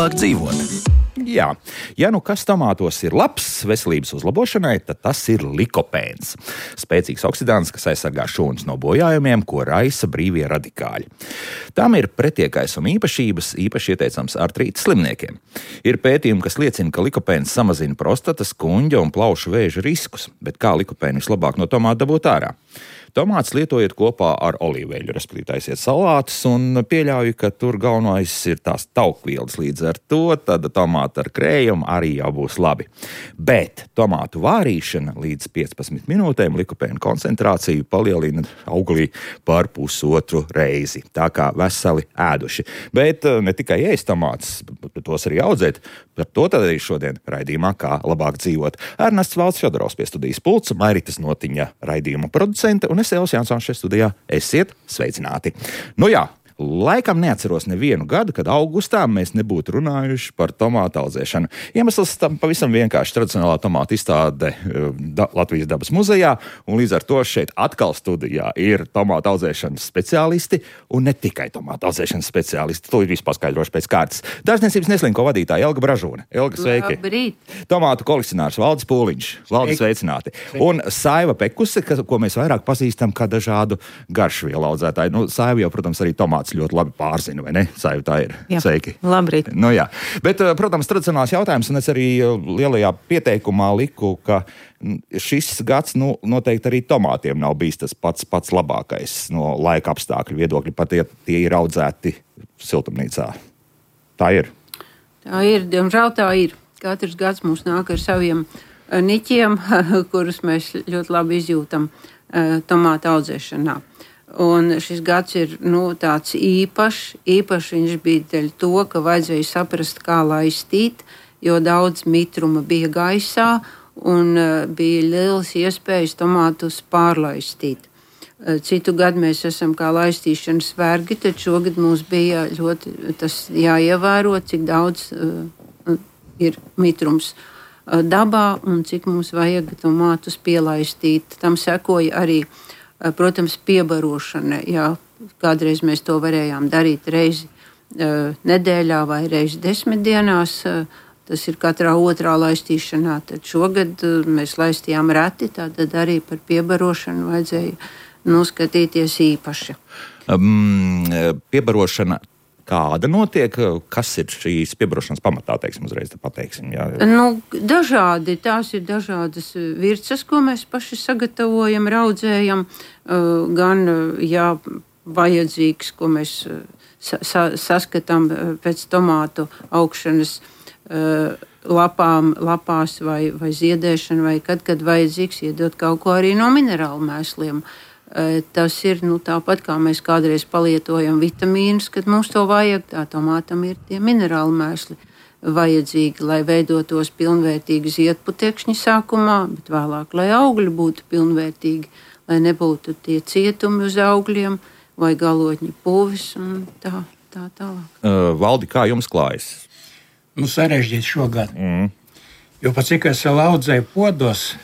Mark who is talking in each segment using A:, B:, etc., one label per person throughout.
A: labāk dzīvot. Jā, ja nu kas tomātos ir labs veselības uzlabošanai, tad tas ir likopēns. Spēcīgs oksidants, kas aizsargā šūnas no bojājumiem, ko raisa brīvie radikāļi. Tām ir pretiekaisuma īpašības, īpaši ieteicams artrīta slimniekiem. Ir pētījumi, kas liecina, ka likopēns samazina prostatas, kuņģa un plaušu vēža riskus, bet kā likopēnu vislabāk no tomāta dabūt ārā? Tomātus lietojiet kopā ar olīveļu, respektīvi taisiet salātus, un pieļauju, ka tur galvenais ir tās taukvielas. Līdz ar to tad tomāti ar krējumu arī jau būs labi. Bet tomātu vārīšana līdz 15 minūtēm likopēnu koncentrāciju palielina auglī par pusotru reizi. Tā kā veseli ēduši. Bet ne tikai ēst tomātus, bet tos arī audzēt. Par to tad arī šodien raidījumā Kā labāk dzīvot. Ernests Valds Fjodorovs pie studijas pulca, Mairitas Notiņa raidījuma producente, un es Elis Jansons šeit studijā. Esiet sveicināti! Nu jā, laikam neatceros nevienu gadu, kad augustā mēs nebūtu runājuši par tomātu audzēšanu. Iemesls tam pavisam vienkārši tradicionālā tomātu izstāde Latvijas dabas muzejā, un līdz ar to šeit atkal studijā ir tomātu audzēšanas speciālisti, un ne tikai tomātu audzēšanas speciālisti. To ir viss paskaidroši pēc kārtas. Dārzniecības neslinko vadītāja Elga Bražūne. Elga, sveiki!
B: Labrīt!
A: Tomātu kolekcionārs Valdis Pūliņš. Valdis, sveicināti! Un Saiva Pekuse, ko mēs vairāk pazīstam kā dažādu garšvielu audzētāju. Nu, Saiva jau, protams, arī tomāts ļoti labi pārzina, vai ne? Saiva, tā ir.
B: Jā.
A: Sveiki.
B: Labrīt.
A: Nu jā. Bet, protams, tradicionāls jautājums, un es arī lielajā pieteikumā liku, ka šis gads, noteikti arī tomātiem nav bijis tas pats labākais no laika apstākļu viedokļa, pat ja tie ir audzēti siltumnīcā. Tā ir.
B: Tā ir, diemžēl tā ir. Katrs gads mums nāk ar saviem niķiem, kurus mēs ļoti labi izjūtam tomātu audzēšanā. Un šis gads ir tāds īpašs. Īpaši viņš bija dēļ to, ka vajadzēja saprast, kā laistīt, jo daudz mitruma bija gaisā un bija lielas iespējas tomātus pārlaistīt. Citu gadu mēs esam kā laistīšanas vergi, tad šogad mums bija ļoti tas jāievēro, cik daudz ir mitrums dabā un cik mums vajag tomātus pielaistīt. Tam sekoja arī, protams, piebarošana. Jā, kādreiz mēs to varējām darīt reizi nedēļā vai reizi 10 dienās. Tas ir katrā otrā laistīšanā. Tad šogad mēs laistījām reti, tātad arī par piebarošanu vajadzēja skatīties īpaši.
A: Piebarošana kāda notiek? Kas ir šīs piebarošanas pamatā, uzreiz pateiksim? Jā.
B: Dažādi. Tās ir dažādas virces, ko mēs paši sagatavojam, raudzējam. Gan, ja vajadzīgs, ko mēs saskatām pēc tomātu augšanas lapās vai ziedēšana, vai kad vajadzīgs iedot kaut ko arī no minerālu mēsliem. Tas ir tāpat, kā mēs kādreiz palietojam vitamīnus, kad mums to vajag, tā tomātam ir tie minerāli mēsli vajadzīgi, lai veidotos pilnvērtīgi ziedputekšņi sākumā, bet vēlāk, lai augļi būtu pilnvērtīgi, lai nebūtu tie cietumi uz augļiem vai galotņu puvis un tā tālāk.
A: Valdi, kā jums klājas?
C: Sarežģīti šogad. Jo pat cik es vēl audzēju podos,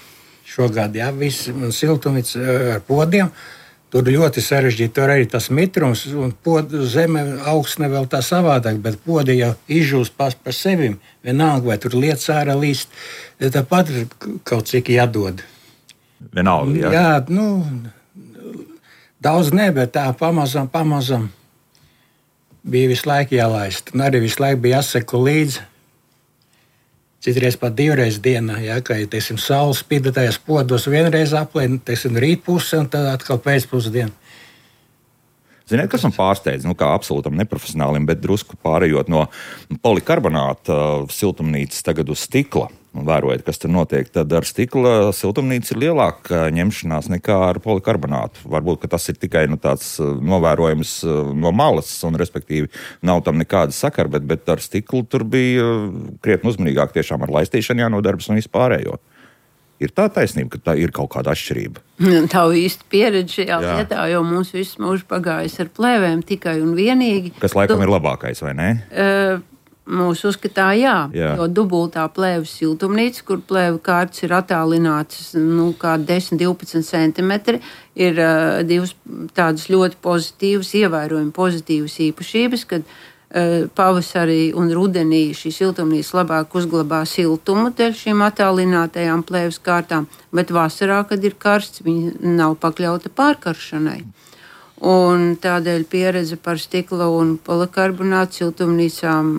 C: šogad, jā, viss siltumnīca ar podiem, tur ļoti sarežģīti, tur arī tas mitrums, un zeme augsne vēl tā savādāk, bet podi jau izžūst par sevi, vienalga, vai tur lietas ārā līst, tāpat kaut cik jādod.
A: Vienalga, jā?
C: Jā, daudz ne, bet tā pamazam bija visu laiku jālaist, un arī visu laiku bija jāseko līdzi. Citreiz pat 2 reizes dienā, ja, kā saules spīda tajās podos vienreiz aplēn, rītpuse un tad atkal pēcpusdiena.
A: Ziniet, kas man pārsteidz, kā absolūtam neprofesionālim, bet drusku pārējot no polikarbonāta siltumnīcas tagad uz stikla, un vērojot, kas tur notiek, tad ar stikla siltumnīcu ir lielāka ņemšanās nekā ar polikarbonātu. Varbūt, ka tas ir tikai tāds novērojums no malas, un respektīvi nav tam nekāda sakara, bet ar stiklu tur bija krietni uzmanīgāk tiešām ar laistīšanu jānodarbs un vispārējo. Ir tā taisnība, ka tā ir kaut kāda atšķirība?
B: Tā īsti pieredze šajā lietā, jo mums viss mūžs pagājis ar plēvēm tikai un vienīgi.
A: Kas laikam ir labākais, vai ne?
B: Mūsu uzskatā, jā, jo dubultā plēves siltumnīca, kur plēvu kārtas ir attālinātas kā 10-12 centimetri, ir divas tādas ļoti pozitīvas, ievērojami pozitīvas īpašības, kad pavasarī un rudenī šī siltumnīca labāk uzglabā siltumu dēļ šīm attālinātajām plēves kārtām, bet vasarā, kad ir karsts, viņa nav pakļauta pārkaršanai. Un tādēļ pieredze par stikla un polikarbonātu siltumnīcām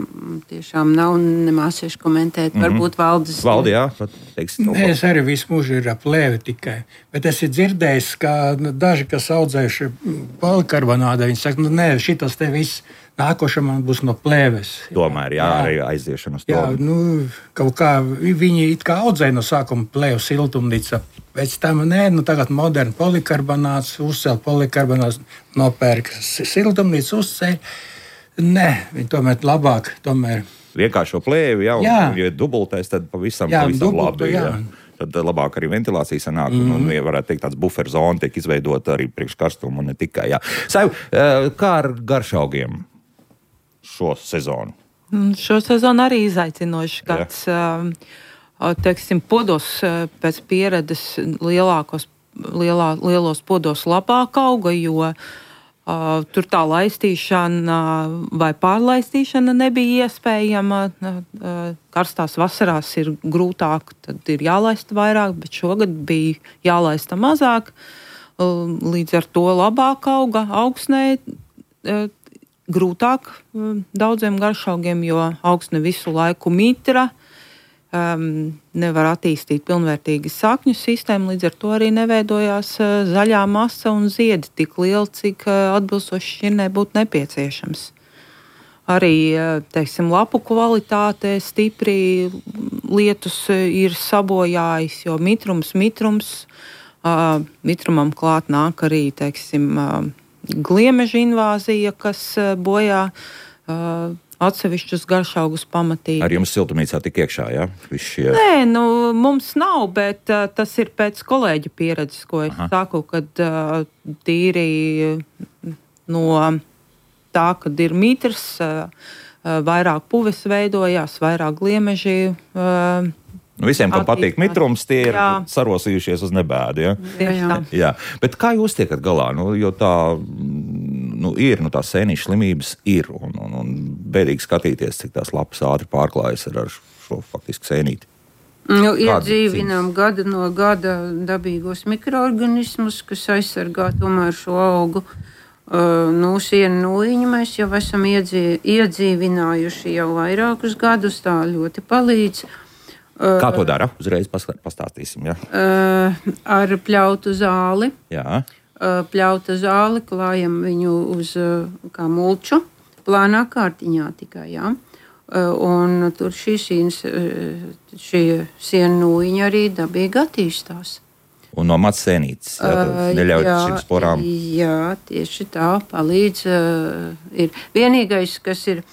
B: tiešām nav nemācīšu komentēt. Varbūt valdes.
A: Valdi, jā, teiks.
C: Es arī visu mūžu ir ap plēvi tikai. Bet es ir dzirdējis, ka daži, kas audzējuši polikarbonātu, viņi saka, nē, šitas te viss nākošais man būs no plēves.
A: Tomēr, jā, arī aiziešana uz to.
C: Jā, kaut kā viņi it kā audzēja no sākuma plēvu siltumnīca. Pēc tam, tagad moderni polikarbonāts, uzcēl polikarbonāts, nopērk siltumnīcu, uzceļ. Nē, viņi tomēr labāk,
A: vienkāršo plēvi, ja dubultais, tad pavisam labi.
C: Jā.
A: Tad labāk arī ventilācija sanāk, un varētu teikt, tāds buferzona tiek izveidota arī priekš karstumu, un ne tikai. Jā. Saiv, kā ar garšaugiem šo sezonu?
D: Šo sezonu arī izaicinoši gads. Teiksim, podos pēc pieredzes lielos podos labāk auga, jo tur tā laistīšana vai pārlaistīšana nebija iespējama. Karstās vasarās ir grūtāk, tad ir jālaista vairāk, bet šogad bija jālaista mazāk. Līdz ar to labāk auga augsnē. Grūtāk daudziem garšaugiem, jo augsne visu laiku mitra. Nevar attīstīt pilnvērtīgi sakņu sistēmu, līdz ar to arī neveidojās zaļā masa un ziedi tik lieli, cik atbilstoši šķirnē būtu nepieciešams. Arī, teiksim, lapu kvalitāte stipri lietus ir sabojājis, jo mitrumam klāt nāk arī, teiksim, gliemeža invāzija, kas bojā atsevišķus garšaugus pamatīgi.
A: Ar jums siltumnīcā tik iekšā, jā? Šie...
D: Nē, mums nav, bet tas ir pēc kolēģa pieredzes, ko es saku, kad tīri no tā, kad ir mitrs, vairāk puves veidojās, vairāk gliemeži.
A: Visiem, kam patīk mitrums, tie ir sarosījušies uz nebēdu, ja? Jā. Bet kā jūs tiekat galā? Jo tā... ir, tā sēnīša slimības ir, un bēdīgi skatīties, cik tās lapas ātri pārklājas ar šo faktiski sēnīti.
B: Iedzīvinām gada no gada dabīgos mikroorganismus, kas aizsargā tomēr šo augu. Sienu nūjiņu mēs jau esam iedzīvinājuši jau vairākus gadus, tā ļoti palīdz.
A: Kā to dara? Uzreiz pastāstīsim, jā.
B: Ar pļautu zāli.
A: Jā.
B: Pļauta zāli, klājam viņu uz kā mulču, plānā kārtiņā tikai, jā. Un tur šī sienu nūjiņa arī dabīgi attīstās.
A: Un no mats sēnītes, neļauj šīm sporām?
B: Jā, tieši tā, palīdz. Ir vienīgais, kas ir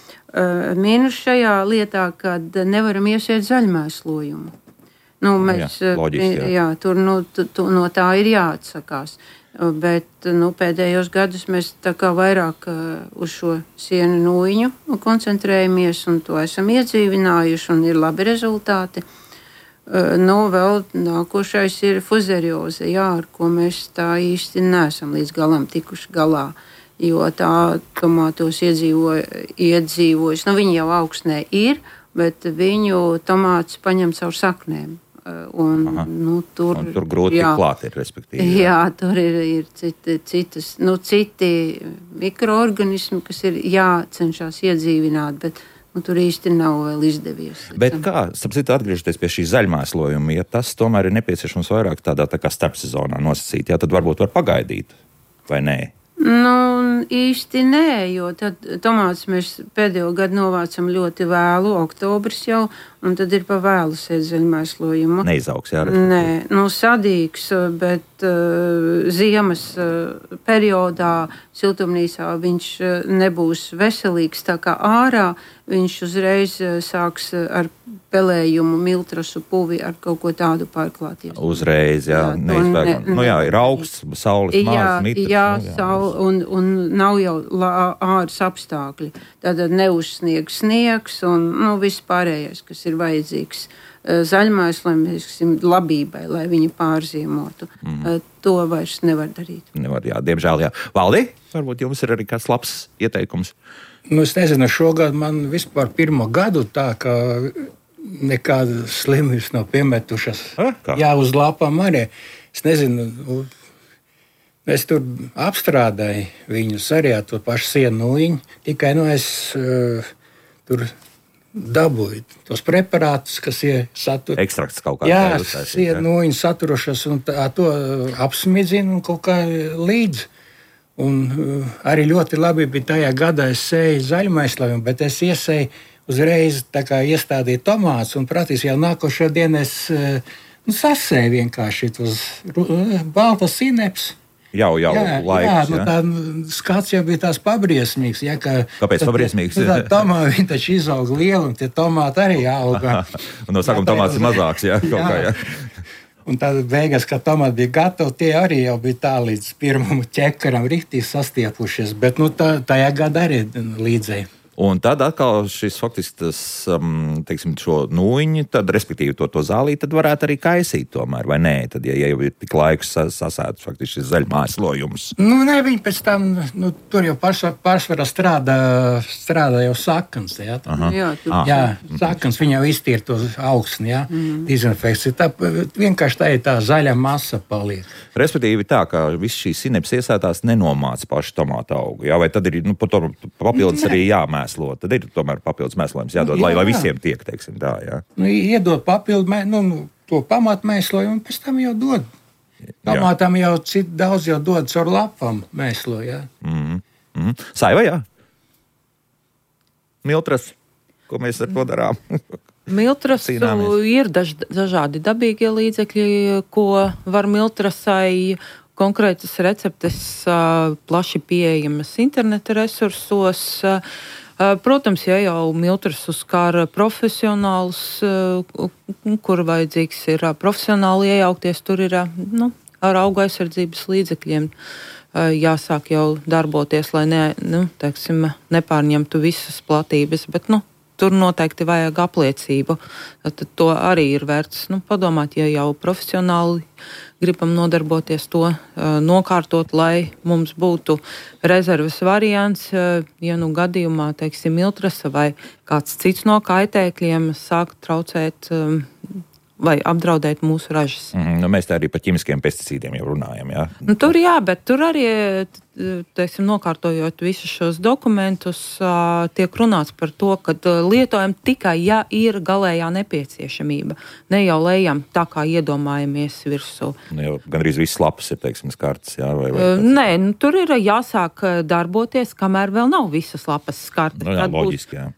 B: mīnus šajā lietā, kad nevaram iesiet zaļmēslojumu. Mēs,
A: loģiski, jā.
B: Tur no tā ir jāatsakās. Bet pēdējos gadus mēs tā kā vairāk uz šo sienu nūjiņu koncentrējamies un to esam iedzīvinājuši un ir labi rezultāti. Vēl nākošais ir fuzerioze, ar ko mēs tā īsti neesam līdz galam tikuši galā, jo tā tomātos iedzīvojas. Viņi jau augsnē ir, bet viņu tomāts paņem caur saknēm.
A: Tur grūti klāt ir, respektīvi.
B: Jā, tur ir citi mikroorganismi, kas ir jācenšas iedzīvināt, bet tur īsti nav vēl izdevies.
A: Bet kā, atgriežoties pie šī zaļmēslojuma, ja tas tomēr ir nepieciešams vairāk tādā tā kā starpsezonā nosacīt, tad varbūt var pagaidīt, vai nē?
B: Īsti nē, jo tad tomātus mēs pēdējo gadu novācam ļoti vēlu, oktobris jau, un tad ir pa vēlu sēt zaļmēslojumu.
A: Neizaugs, jā?
B: Nē, sadīgs, bet ziemas periodā siltumnīcā viņš nebūs veselīgs, tā kā ārā viņš uzreiz sāks ar pelējumu, miltrasu puvi ar kaut ko tādu pārklāties.
A: Uzreiz, jā, neizbēgam. Ir augsts, saules maz, mitrs.
B: Jā, un nav jau āras apstākļi. Tad neuzsniegs sniegs un viss pārējais, kas ir vajadzīgs zaļmaisliem labībai, lai viņi pārziemotu. To vairs nevar darīt.
A: Nevar, jā, diemžēl, jā. Valdi, varbūt jums ir arī kāds labs ieteikums?
C: Es nezinu, šogad man vispār pirmo gadu tā, ka nekādas slimības nav piemetušas. Jā, uz lapām arī. Es nezinu, es tur apstrādāju viņus arī ar to pašu sienūjiņu, tikai es tur dabūju tos preparātus, kas ir satur.
A: Ekstrakts kaut kā.
C: Jā, sienūjiņu saturošas un to apsmidzinu un kaut kā līdzi. Un arī ļoti labi bija tajā gadā, es sēju zaļmaisliem, bet es iesēju uzreiz iestādīju tomātus, un praktiski jau nākošo dienu es sasēju vienkārši tos baltas sineps.
A: Jau laiks.
C: Jā, tā skats jau bija tās pabriesmīgs. Jā,
A: kāpēc pabriesmīgs?
C: Tā tomāti, viņi taču izauga lieli, un tie tomāti arī auga.
A: Un no sākuma tomāts ir mazāks, jā, kaut kā, jā.
C: Un tad beigās, kad tomāti bija gatavi, tie arī jau bija tā līdz pirmam ķekaram riktīgi sastiepušies, bet tajā gadā arī līdzēji.
A: Un tad atkal šis faktiski tas, teiksim, šo nūjiņu, tad, respektīvi, to zālī, tad varētu arī kaisīt tomēr, vai nē? Tad, ja jau ir tik laiks sasēts faktiski šis zaļmaislojums.
C: Nē, viņi pēc tam, tur jau pārsvarā strādā jau sakans, jā. Jā, sakans, viņi jau iztīra to augsni, jā, dezinfekciju. Tā vienkārši tā ir tā zaļa masa paliek.
A: Respektīvi tā, ka viss šīs sineps iesētās nenomāca pašu tomātu augu, jā, vai tad ir, papildus arī jāmēr. Tad ir tomēr papildus mēslojums jādod, lai visiem tiek, teiksim tā, jā.
C: Iedod papildu, to pamatmēslojumu, un pēc tam jau dod. Tomātam jau daudz jau dod caur lapām mēslo, jā.
A: Saiva, jā? Miltras, ko mēs ar to darām?
D: Miltras ir dažādi dabīgie līdzekļi, ko var miltrasai. Konkrētas receptes plaši pieejamas interneta resursos. Protams, ja jau miltras uzskar profesionālus, kur vajadzīgs ir profesionāli iejaukties, tur ir ar augu aizsardzības līdzekļiem jāsāk jau darboties, lai nepārņemtu visas platības, bet tur noteikti vajag apliecību. Tad to arī ir vērts padomāt, ja jau profesionāli gribam nodarboties to nokārtot, lai mums būtu rezerves variants, ja gadījumā, teiksim, miltrasa vai kāds cits no kaitēkļiem sāk traucēt vai apdraudēt mūsu ražas.
A: Mēs tā arī par ķimiskiem pesticīdiem jau runājam, jā?
D: Tur jā, bet tur arī, teiksim, nokārtojot visus šos dokumentus, tiek runāts par to, ka lietojam tikai, ja ir galējā nepieciešamība. Ne jau lejam tā, kā iedomājamies virsū.
A: Gandrīz viss lapas ir, teiksim, skartas, jā?
D: Nē, tur ir jāsāk darboties, kamēr vēl nav visas lapas skartas.
A: Jā, loģiski, jā.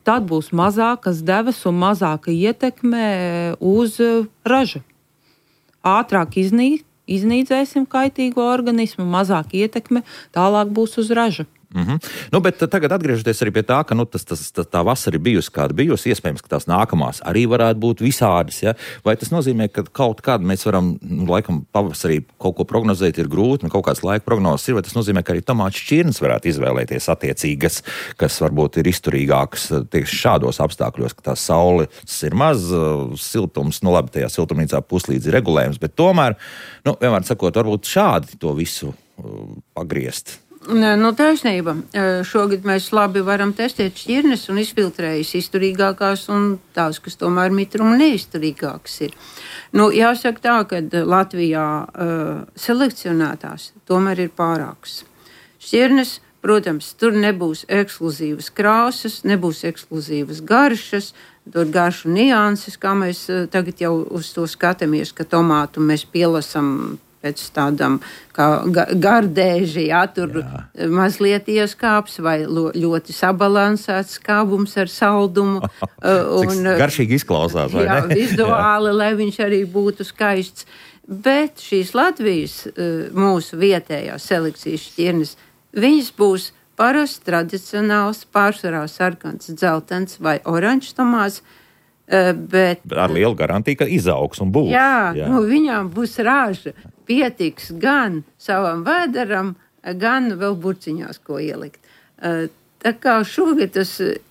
D: Tad būs mazākas devas un mazāka ietekme uz ražu. Ātrāk iznīcēsim kaitīgo organismu, mazāk ietekme, tālāk būs uz ražu.
A: Bet tagad atgriežoties arī pie tā, ka tā vasara ir bijusi kāda bijusi, iespējams, ka tās nākamās arī varētu būt visādas. Ja? Vai tas nozīmē, ka kaut kādu mēs varam, laikam, pavasarī kaut ko prognozēt ir grūti, kaut kāds laika prognozes ir, vai tas nozīmē, ka arī tomātu šķirnes varētu izvēlēties attiecīgas, kas varbūt ir izturīgākas tieši šādos apstākļos, ka tā saules ir maz, siltums, labi, tajā siltumnīcā puslīdz ir regulējums, bet tomēr, vienmēr sakot, varbūt šādi to visu pagriezt.
B: Taisnība. Šogad mēs labi varam testēt šķirnes un izfiltrējas izturīgākās un tās, kas tomēr mitruma neizturīgākas ir. Jāsaka tā, ka Latvijā selekcionētās tomēr ir pārākas. Šķirnes, protams, tur nebūs ekskluzīvas krāsas, nebūs ekskluzīvas garšas, tur garšu nianses, kā mēs tagad jau uz to skatāmies, ka tomātu mēs pielasam pēc tādam kā gardēži, tur mazliet ieskāps vai ļoti sabalansēts skābums ar saldumu.
A: Garšīgi izklausās, vai ne?
B: Jā, vizuāli, lai viņš arī būtu skaists. Bet šīs Latvijas mūsu vietējās selekcijas šķirnes, viņas būs parasts, tradicionāls, pārsvarā sarkans, dzeltens vai oranžs tomāts, bet
A: ar lielu garantiju, ka izaugs un būs.
B: Jā. Viņām būs raža. Pietiks gan savam vēderam, gan vēl burciņās, ko ielikt. Tā kā šogad tas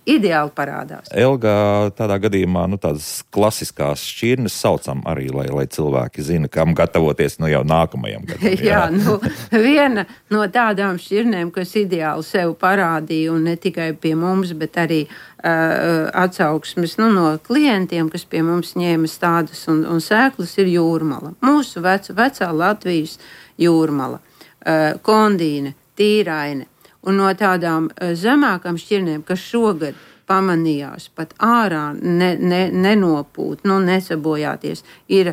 B: ideāli parādās.
A: Elga, tādā gadījumā tādas klasiskās šķirnes saucam arī, lai cilvēki zina, kam gatavoties jau nākamajam gadam.
B: Jā, viena no tādām šķirnēm, kas ideāli sev parādīja, un ne tikai pie mums, bet arī atsauksmes no klientiem, kas pie mums ņēma stādus un sēklas, ir jūrmala. Mūsu vecā Latvijas jūrmala, kondīne, tīraine. Un no tādām zemākām šķirnēm, kas šogad pamanījās pat ārā nenopūt, nesabojāties, ir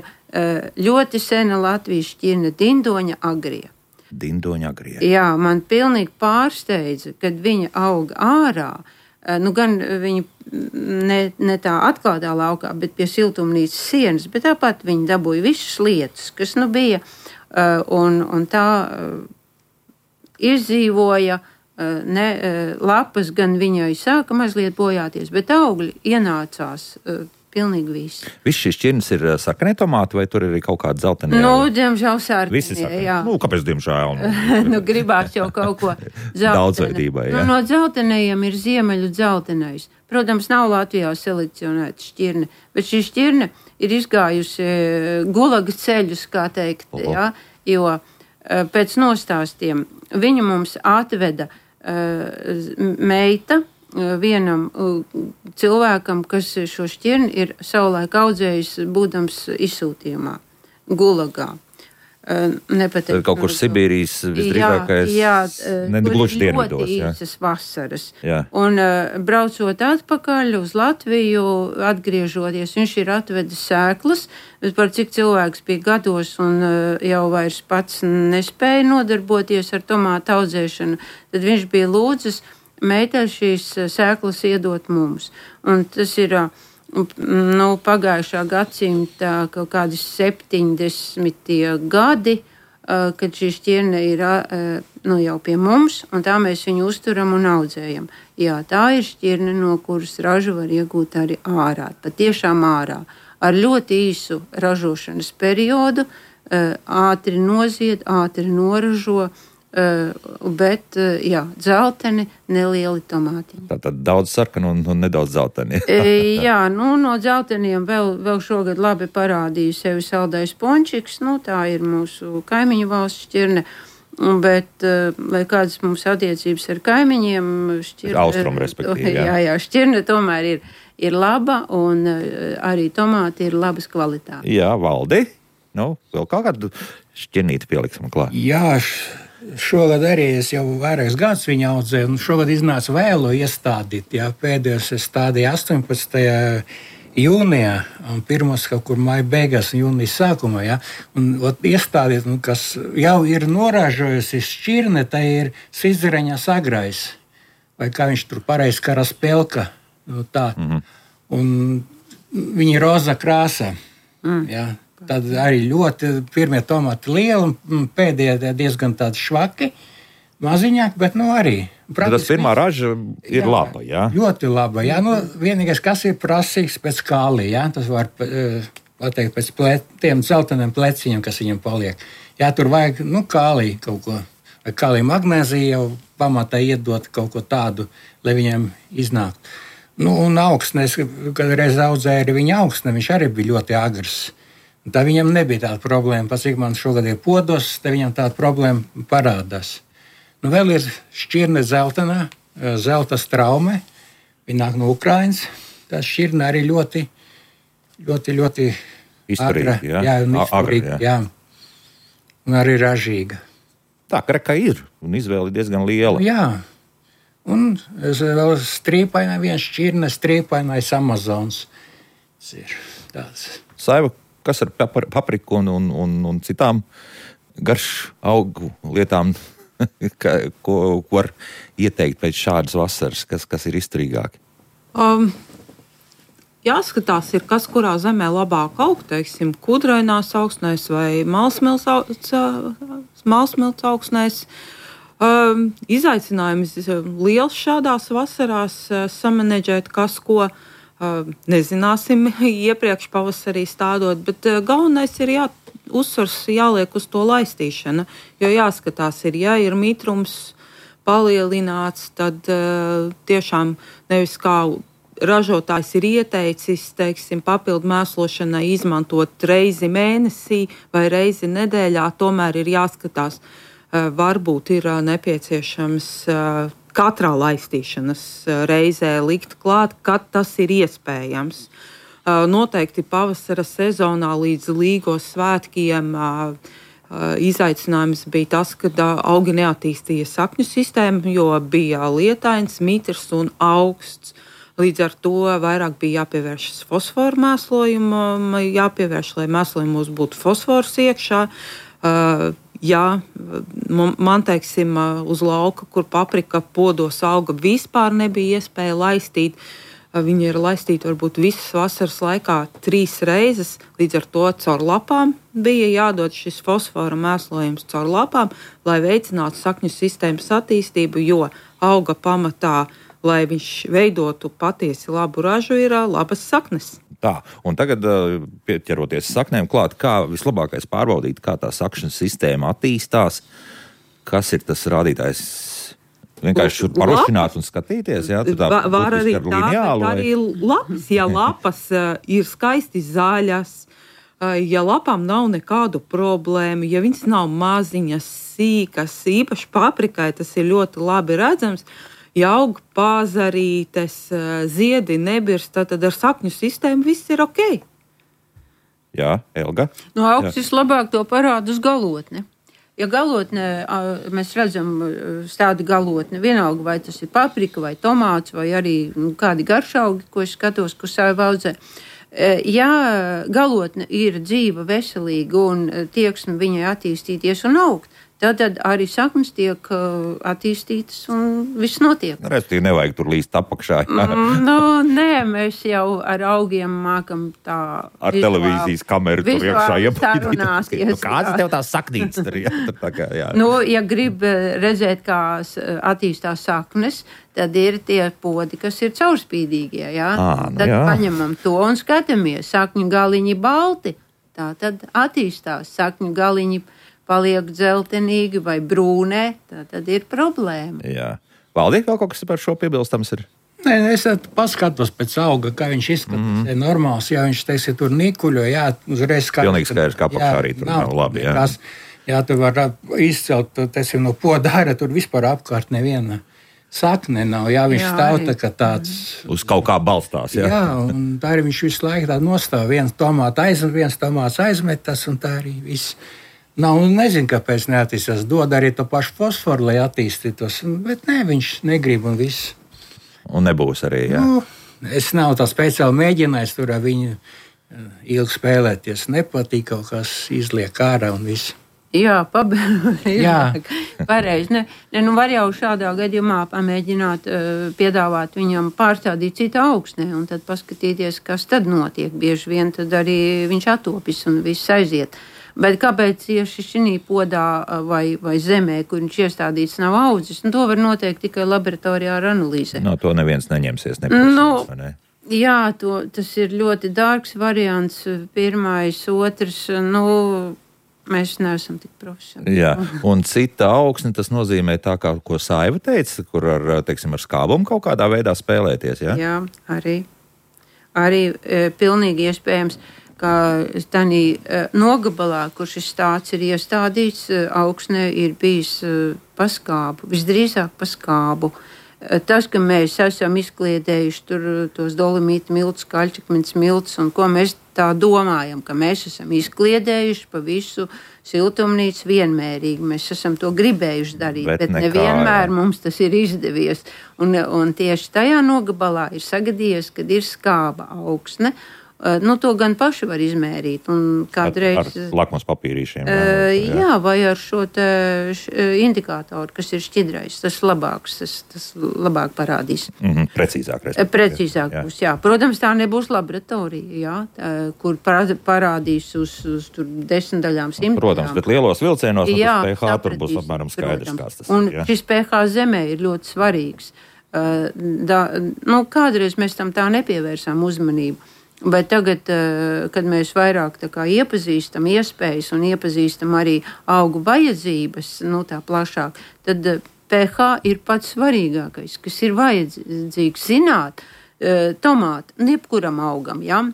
B: ļoti sena Latvijas šķirne Dindoņa agrija.
A: Dindoņa agrija.
B: Jā, man pilnīgi pārsteidza, kad viņa auga ārā, gan viņa ne tā atklātā laukā, bet pie siltumnīcas sienas, bet tāpat viņa dabūja visas lietas, kas bija, un tā izdzīvoja. Lapas gan viņai sāka mazliet bojāties, bet augļi ienācās pilnīgi visi.
A: Viss šīs šķirnes ir sarkanie tomāti, vai tur ir arī kaut kāda zeltainā?
B: Diemžēl sarkanie.
A: Visi sarkanie. Kāpēc diemžēl?
B: Gribās jau kaut ko zeltainu.
A: Daudzveidībai, jā.
B: No dzeltenajiem ir ziemeļu dzeltenais. Protams, nav Latvijā selekcionēta šķirne, bet šī šķirne ir izgājusi gulaga ceļus, kā teikt, jā, jo pēc nostāstiem viņa mums atveda meita vienam cilvēkam, kas šo šķirni ir savulaik audzējis, būdams izsūtījumā, Gulagā.
A: Kaut kur Sibīrijas visdrīzākais, gluži dienvidos. Jā,
B: īsas vasaras.
A: Jā.
B: Un braucot atpakaļ uz Latviju, atgriežoties, viņš ir atvedis sēklas, bet par cik cilvēks bija gados un jau vairs pats nespēja nodarboties ar tomātu audzēšanu, tad viņš bija lūdzis meitai šīs sēklas iedot mums. Un tas ir pagājušā gadsimta kaut kādi 70. gadi, kad šī šķirne ir jau pie mums, un tā mēs viņu uzturam un audzējam. Jā, tā ir šķirne, no kuras ražu var iegūt arī ārā, patiešām ārā, ar ļoti īsu ražošanas periodu, ātri nozied, ātri noražo, bet, dzelteni, nelieli tomāti.
A: Tātad daudz sarkanu un nedaudz dzelteni.
B: Jā, no dzelteniem vēl šogad labi parādīja sevi saldais pončiks, tā ir mūsu kaimiņu valsts šķirne, bet, lai kādas mums attiecības ar kaimiņiem, šķirne...
A: Austrum, respektīvi, jā.
B: Jā, šķirne tomēr ir laba, un arī tomāti ir labas kvalitātes.
A: Jā, Valdi, vēl kādu šķirnīti pieliksim klāt.
C: Jā, šogad arī es jau vairākus gadus viņu audzēju, un šogad iznāca vēlu iestādīt. Jā, pēdējos es stādīju 18. jūnijā, un pirmos kaut kur maija beigās un jūnijas sākumā. Jā, un iestādīt, kas jau ir noražojusi šķirne, tā ir siziraņa sagrais, vai kā viņš tur pareizi karaspelka. Tā. Un viņa ir roza krāsa. Jā. Tad arī ļoti pirmie tomāti lieli, un pēdējie diezgan tādi švaki, maziņāki, bet arī.
A: Tas pirmā raža ir laba, jā?
C: Ļoti laba, jā. Vienīgais, kas ir prasīgs pēc kālī, jā, tas var pateikt pēc tiem dzelteniem pleciņiem, kas viņam paliek. Jā, tur vajag, kālī kaut ko, vai kālī magnēzija jau pamatā iedot kaut ko tādu, lai viņiem iznāk. Un augsnes, kad reiz audzēja arī viņa augsne, viņš arī bija ļoti agrs. Tā viņam nebija tāda problēma, pats cik man šogad ir podos, te viņam tāda problēma parādās. Vēl ir šķirne zeltainā, zelta straume, viņa nāk no Ukrainas. Tā šķirne arī ļoti
A: izturīga,
C: izturīga, jā. Un arī ražīga.
A: Tā kreka ir, un izvēle diezgan liela.
C: Jā, un vēl strīpainā viena šķirne, strīpainais Amazons. Tas ir tāds.
A: Saiva, kas ar papriku un citām garš augu lietām, ko var ieteikt pēc šādas vasaras, kas ir izturīgāki?
D: Jāskatās, kas kurā zemē labāk aug, teiksim, kudrainās augsnēs vai malsmilts augsnēs. Izaicinājums liels šādās vasarās samanedžēt, kas ko nezināsim iepriekš pavasarī stādot, bet galvenais ir uzsvars jāliek uz to laistīšanu, jo jāskatās ir mitrums palielināts, tad tiešām nevis kā ražotājs ir ieteicis, teiksim, papildu mēslošanai izmantot reizi mēnesī vai reizi nedēļā, tomēr ir jāskatās, varbūt ir nepieciešams katrā laistīšanas reizē likt klāt, kad tas ir iespējams. Noteikti pavasara sezonā līdz Līgos svētkiem izaicinājums bija tas, ka augi neattīstīja sakņu sistēmu, jo bija lietains, mitrs un augsts. Līdz ar to vairāk bija jāpievēršas fosforu mēslojumam, lai mēslojumos būtu fosfors iekšā. Jā, man, teiksim, uz lauka, kur paprika podos auga, vispār nebija iespēja laistīt. Viņa ir laistīta varbūt visas vasaras laikā 3 reizes, līdz ar to caur lapām bija jādod šis fosfora mēslojums caur lapām, lai veicinātu sakņu sistēmas attīstību, jo auga pamatā, lai viņš veidotu patiesi labu ražu, ir labas saknes.
A: Tā, un tagad pieķeroties saknēm klāt, kā vislabākais pārbaudīt, kā tā sakšana sistēma attīstās, kas ir tas rādītājs? Vienkārši parušināt un skatīties, jā?
D: Var arī tā, bet arī lapas, ja lapas ir skaisti zaļas, ja lapām nav nekādu problēmu, ja viņas nav maziņas, sīkas, īpaši paprikai tas ir ļoti labi redzams, ja aug pāzarītes, ziedi nebirst, tad ar sakņu sistēmu viss ir ok.
A: Jā, Elga?
B: No augsts vislabāk to parāda uz galotni. Ja galotnē mēs redzam tādu galotni, vienalga vai tas ir paprika vai tomāts vai arī kādi garšaugi, ko es skatos, ko savu audzē. Ja galotne ir dzīva, veselīga un tieksme viņai attīstīties un augt, tad arī saknes tiek attīstītas un viss notiek.
A: Restīvi nevajag tur līst apakšā.
B: Nē, mēs jau ar augiem mākam tā
A: ar televīzijas kameru tur iekšā
B: iepazīties.
A: Kāds tev tās saknītes tur? Jā.
B: Ja grib redzēt, kā attīstās saknes, tad ir tie podi, kas ir caurspīdīgie. Jā? Tad paņemam to un skatāmies. Sakņu galiņi balti, tā tad attīstās. Sakņu galiņi paliek dzeltenīgi vai brūnē, tad ir problēma.
A: Jā. Valdi, vēl kaut kas par šo piebilstams ir?
C: Nē, es paskatos pēc auga, kā viņš izskatās. Normāls, ja viņš, teiksim, tur nikuļo, jā, uzreiz skatās.
A: Pilnīgi skaidrs, kā apakšā arī tur nav labi, jā.
C: Jā, tu var izcelt, teiksim, no poda ārā, tur vispār apkārt neviena sakne nav, jā, viņš stāv tā kā tāds.
A: Uz kaut kā balstās, jā.
C: Jā, un tā arī viņš visu laiku tā nostāv, viens tomāts aizmetas, un tā arī viss. Nav, nezinu, kāpēc neattīstās. Dod arī to pašu fosforu, lai attīstītos, bet nē, viņš negrib un viss.
A: Un nebūs arī, jā.
C: Es nav tā speciāli mēģinājis tur ar viņu ilgi spēlēties. Nepatīk, kaut kas izliek ārā un viss.
B: Jā, pareizi. Var jau šādā gadījumā pamēģināt piedāvāt viņam pārstādīt citu augsnē un tad paskatīties, kas tad notiek. Bieži vien tad arī viņš atopis un viss aiziet. Bet kāpēc tieši šī podā vai zemē, kur viņš iestādīts, nav audzis? To var noteikt tikai laboratorijā ar analīzē.
A: No to neviens neņemsies. Ne?
B: Jā, tas ir ļoti dārgs variants. Pirmais, otrs, mēs neesam tik profesionāli.
A: Jā, un cita augsne, tas nozīmē tā, kā ko Saiva teica, kur ar skābumu kaut kādā veidā spēlēties, jā?
B: Jā, arī pilnīgi iespējams. Kā tādā nogabalā, kur šis stāsts ir iestādīts, augsnē ir bijis pa skābu, visdrīzāk pa skābu. Tas, ka mēs esam izkliedējuši tur tos dolomītu miltus, kaļķakmens miltus, un ko mēs tā domājam, ka mēs esam izkliedējuši pa visu siltumnīcu vienmērīgi. Mēs esam to gribējuši darīt, bet nevienmēr mums tas ir izdevies. Un tieši tajā nogabalā ir sagadījies, kad ir skāba augsne. To gan paši var izmērīt. Kādreiz,
A: ar lakmus papīrīšiem.
B: Jā, vai ar šo indikātoru, kas ir šķidrais. Tas labāks, tas labāk parādīs.
A: Precīzāk.
B: Precīzāk būs, jā. Protams, tā nebūs laboratorija, jā, kur parādīs uz 10 daļām, 100.
A: Protams, bet lielos vilcienos pH tur būs apmēram skaidrs, kāds tas
B: ir. Un šis pH zemē ir ļoti svarīgs. Kādreiz mēs tam tā nepievērsām uzmanību. Bet tagad, kad mēs vairāk iepazīstam iespējas un iepazīstam arī augu vajadzības, tā plašāk, tad pH ir pats svarīgākais, kas ir vajadzīgs zināt tomātu, jebkuram augam, ja?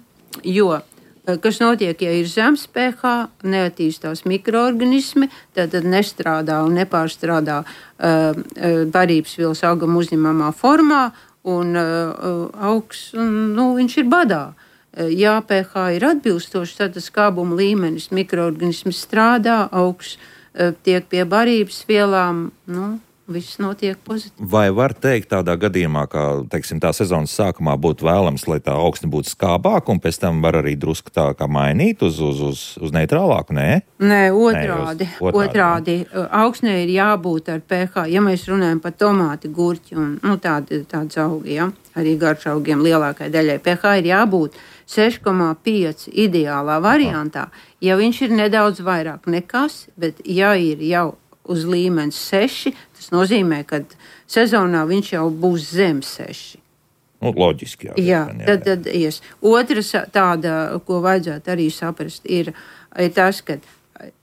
B: Jo kas notiek, ja ir zems pH, neattīstās mikroorganismi, tad nestrādā un nepārstrādā barības vielas augam uzņemamā formā, un augs, viņš ir badā. Ja pH ir atbilstošs, tad skābuma līmenis mikroorganismi strādā, augs tiek pie barības vielām, viss notiek pozitīvi.
A: Vai var teikt tādā gadījumā, ka, teiksim, tā sezonas sākumā būtu vēlams, lai tā augsne būtu skābāka, un pēc tam var arī drusku tā kā mainīt uz neitrālāku, nē?
B: Nē, otrādi. Augsnē ir jābūt ar pH, ja mēs runājam par tomāti, gurķi un tāds augi, ja? Arī garšaugiem lielākai daļai. pH ir jābūt 6,5 ideālā variantā, ja viņš ir nedaudz vairāk nekas, bet ja ir jau uz līmenis 6, tas nozīmē, ka sezonā viņš jau būs zem 6.
A: Loģiski, jā.
B: Tad ies. Otras tāda, ko vajadzētu arī saprast, ir tas, ka,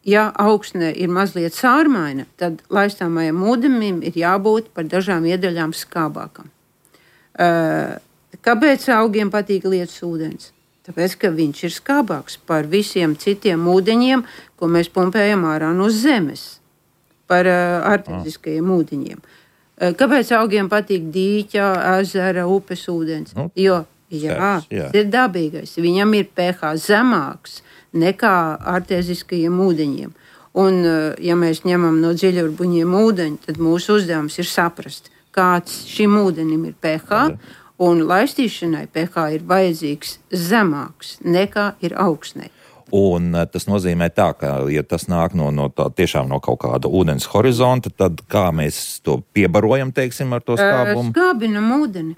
B: ja augsne ir mazliet sārmaina, tad laistāmajam ūdenim ir jābūt par dažām iedaļām skābākam. Kāpēc augiem patīk lietus ūdens? Tāpēc, ka viņš ir skābāks par visiem citiem ūdeņiem, ko mēs pumpējam ārā no zemes. Par arteziskajiem ūdeņiem. Kāpēc augiem patīk dīķa, ezera, upes ūdens? Jo, tas ir dabīgais. Viņam ir pH zemāks nekā arteziskajiem ūdeņiem. Un, ja mēs ņemam no dziļurbuņiem ūdeņu, tad mūsu uzdevums ir saprast, kāds šim ūdenim ir pH, un laistīšanai pH ir vajadzīgs zemāks nekā ir augsnei.
A: Un tas nozīmē tā, ka, ja tas nāk tiešām no kaut kāda ūdens horizonta, tad kā mēs to piebarojam, teiksim, ar to skābumu?
B: Skābinam ūdeni.